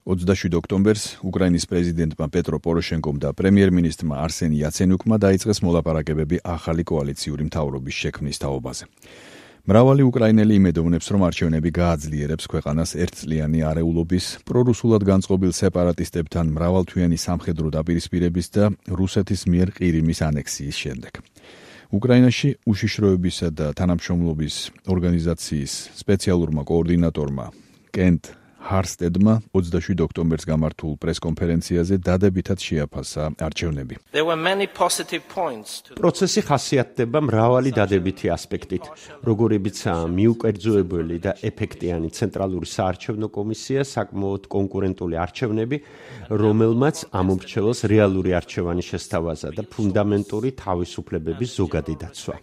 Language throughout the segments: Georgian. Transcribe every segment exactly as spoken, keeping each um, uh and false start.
ოცდაშვიდ ოქტომბერს უკრაინის პრეზიდენტმა პეტრო პოროშენკომ და პრემიერ-მინისტრმა არსენ იაცენიუკმა დაიწყეს მოლაპარაკებები ახალი კოალიციური მთავრობის შექმნის თაობაზე. მრავალი უკრაინელი იმედოვნებს, რომ არჩევნები გააძლიერებს ქვეყანას ერთწლიანი არეულობის, პრორუსულად განწყობილ სეპარატისტებთან მრავალთვიანი სამხედრო დაპირისპირების და რუსეთის მიერ ყირიმის ანექსიის შემდეგ. უკრაინაში უშიშროებისა და თანამშრომლობის ორგანიზაციის სპეციალურმა კოორდინატორმა კენტ ჰარსტედმა ოცდაშვიდ ოქტომბერს გამართულ პრესკონფერენციაზე დადებითად შეაფასა არჩევნები. პროცესი ხასიათდება მრავალი დადებითი ასპექტით, როგორებიცაა მიუკერძოებელი და ეფექტიანი ცენტრალური საარჩევნო კომისია, საკმაოდ კონკურენტული არჩევნები, რომელმაც ამომრჩეველს რეალური არჩევანი შესთავაზა და ფუნდამენტური თავისუფლებების ზოგადი დაცვა.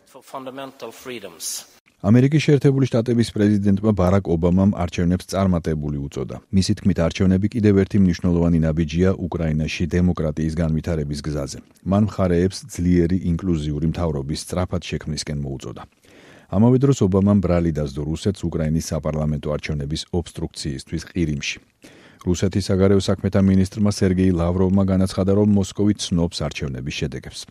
ამერიკის შეერთებული შტატების პრეზიდენტმა ბარაკ ობამამ არჩევნებს წარმატებული უწოდა. მისი თქმით, არჩევნები კიდევ ერთი მნიშვნელოვანი ნაბიჯია უკრაინაში დემოკრატიის განვითარების გზაზე. მან მხარეებს ძლიერი ინკლუზიური მთავრობის სწრაფად შექმნისკენ მოუწოდა. ამავე დროს ობამამ ბრალი დასდო რუსეთს უკრაინის საპარლამენტო არჩევნების ობსტრუქციისთვის ყირიმში. რუსეთის საგარეო საქმეთა მინისტრმა სერგეი ლავროვმა განაცხადა, რომ მოსკოვი ცნობს არჩევნების შედეგებს.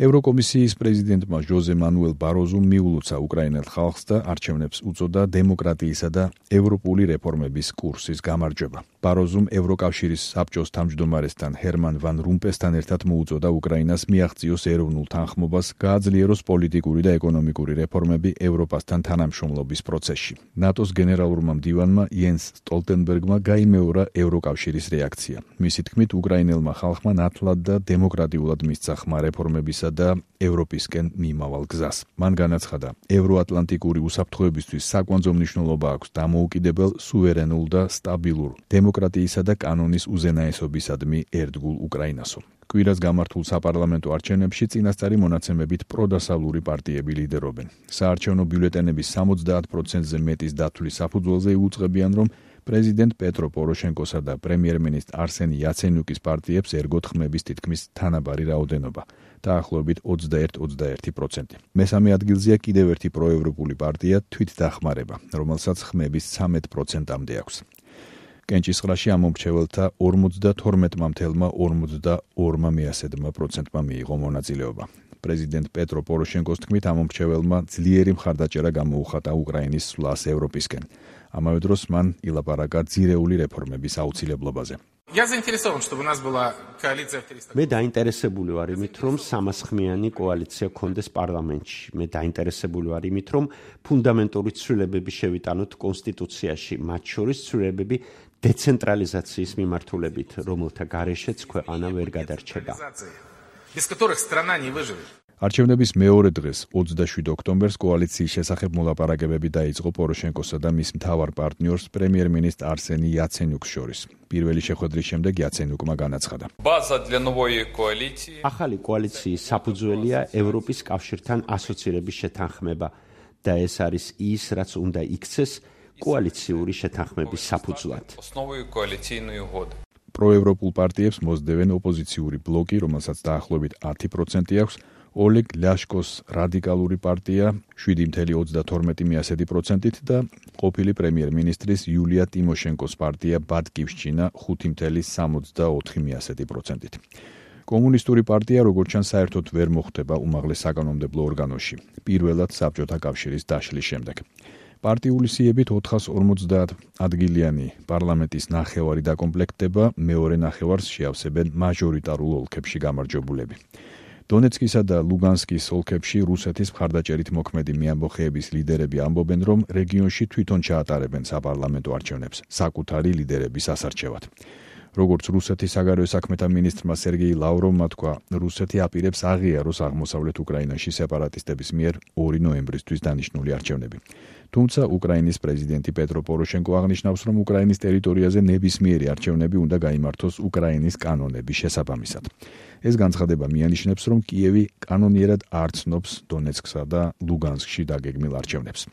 ევროკომისიის პრეზიდენტმა ჟოზე მანუელ ბაროზუმ მიულოცა უკრაინელ ხალხს და არჩევნებს უწოდა დემოკრატიისა და ევროპული რეფორმების კურსის გამარჯვება. ბაროზუმ ევროკავშირის საბჭოს თავმჯდომარესთან ჰერმან ვან რუმპესთან ერთად მოუწოდა უკრაინას მიაღწიოს ეროვნულ თანხმობას, გააძლიეროს პოლიტიკური და ეკონომიკური რეფორმები ევროპასთან თანამშრომლობის პროცესში. ნატოს გენერალურმა მდივანმა იენს სტოლტენბერგმა გაიმეორა ევროკავშირის რეაქცია. მისი თქმით, უკრაინელმა ხალხმა ნათლად და დემოკრატიულად მისცა ხმა რეფორმებისა და ევროპისკენ მიმავალ გზას. მან განაცხადა, ევროატლანტიკური უსაფრთხოებისთვის საკვანძო მნიშვნელობა აქვს დამოუკიდებელ, სუვერენულ და სტაბილურ დემოკრატიისა და კანონის უზენაესობისადმი ერთგულ უკრაინასო. კვირას გამართულ საპარლამენტო არჩევნებში წინასწარი მონაცემებით პროდასავლური პარტიები ლიდერობენ. საარჩევნო ბიულეტენების სამოცდაათ პროცენტზე მეტის დათვლის საფუძველზე იუწყებიან, რომ პრეზიდენტ პეტრო პოროშენკოსა და პრემიერ-მინისტრ არსენ იაცენიუკის პარტიებს ერგოთ ხმების თითქმის თანაბარი რაოდენობა, დაახლოებით ოცდაერთი ოცდაერთი პროცენტი. მესამე ადგილზეა კიდევ ერთი პროევროპული პარტია თვითდახმარება, რომელსაც ხმების ცამეტ პროცენტამდე აქვს. კენჭისყრაში ამომრჩეველთა ორმოცდათორმეტ-ორმოცდაორ პროცენტმა მიიღო მონაწილეობა. პრეზიდენტ პეტრო პოროშენკოს თქმით, ამომრჩეველმა ძლიერი მხარდაჭერა გამოუხატა უკრაინის სვლას ევროპისკენ. ამავე დროს მან ილაპარაკა ძირეული რეფორმების აუცილებლობაზე. მე დაინტერესებული ვარ იმით, რომ სამასხმიანი კოალიცია გქონდეს პარლამენტში. მე დაინტერესებული ვარ იმით, რომ ფუნდამენტური ცვლილებები შევიტანოთ კონსტიტუციაში, მათ შორის ცვლილებები დეცენტრალიზაციის მიმართულებით, რომელთა გარეშეც ქვეყანა ვერ გადარჩება. არჩევნების მეორე დღეს, ოცდაშვიდ ოქტომბერს კოალიციის შესახებ მოლაპარაკებები დაიწყო პოროშენკოსა და მის მთავარ პარტნიორს პრემიერ-მინისტრ არსენი იაცენიუკს შორის. პირველი შეხვედრის შემდეგ იაცენიუკმა განაცხადა, ახალი კოალიციის საფუძველია ევროპის კავშირთან ასოცირების შეთანხმება და ეს არის ის, რაც უნდა იქცეს კოალიციური შეთანხმების საფუძვლად. პროევროპულ პარტიებს მოსდევენ ოპოზიციური ბლოკი, რომელსაც დაახლოებით ათი პროცენტი აქვს, ოლეგ ლიაშკოს რადიკალური პარტია შვიდი ოცდაათი პროცენტით და ყოფილი პრემიერ-მინისტრის იულია ტიმოშენკოს პარტია ბატკივშჩინა ხუთი სამოცდაოთხი პროცენტით. კომუნისტური პარტია, როგორც ჩანს, საერთოდ ვერ მოხვდება უმაღლეს საკანონმდებლო ორგანოში, პირველად საბჭოთა კავშირის დაშლის შემდეგ. პარტიული სიებით ოთხას ორმოცდაათ ადგილიანი პარლამენტის ნახევარი დაკომპლექტდება, მეორე ნახევარს შეავსებენ მაჟორიტარულ ოლქებში გამარჯვებულები. დონეცკისა და ლუგანსკის ოლქებში რუსეთის მხარდაჭერით მოქმედი მეამბოხეების ლიდერები ამბობენ, რომ რეგიონში თვითონ ჩაატარებენ საპარლამენტო არჩევნებს საკუთარი ლიდერების ასარჩევად. როგორც რუსეთის საგარეო საქმეთა მინისტრმა სერგეი ლავროვმა თქვა, რუსეთი აპირებს აღიაროს აღმოსავლეთ უკრაინაში სეპარატისტების მიერ ორი ნოემბრისთვის დანიშნული არჩევნები. თუმცა უკრაინის პრეზიდენტი პეტრო პოროშენკო აღნიშნავს, რომ უკრაინის ტერიტორიაზე ნებისმიერი არჩევნები უნდა გაიმართოს უკრაინის კანონების შესაბამისად. ეს განცხადება მიანიშნებს, რომ კიევი კანონიერად არ ცნობს დონეცკსა და ლუგანსკში დაგეგმილ არჩევნებს.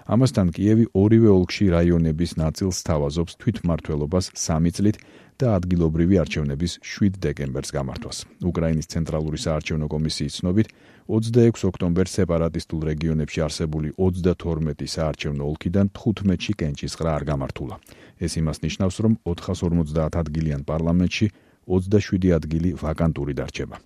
ამასთან კიევი ორივე ოლქში რაიონების ნაწილს სთავაზობს თვითმმართველობას სამი წლით და ადგილობრივი არჩევნების შვიდ დეკემბერს გამართვას. უკრაინის ცენტრალური საარჩევნო კომისიის ცნობით ოცდაექვსი ოქტომბერს სეპარატისტულ რეგიონებში არსებული ოცდათორმეტი საარჩევნო ოლქიდან თხუთმეტში კენჭისყრა არ გამართულა. ეს იმას ნიშნავს, რომ ოთხასორმოცდაათ ადგილიან პარლამენტში ოცდაშვიდი ადგილი ვაკანტური დარჩება.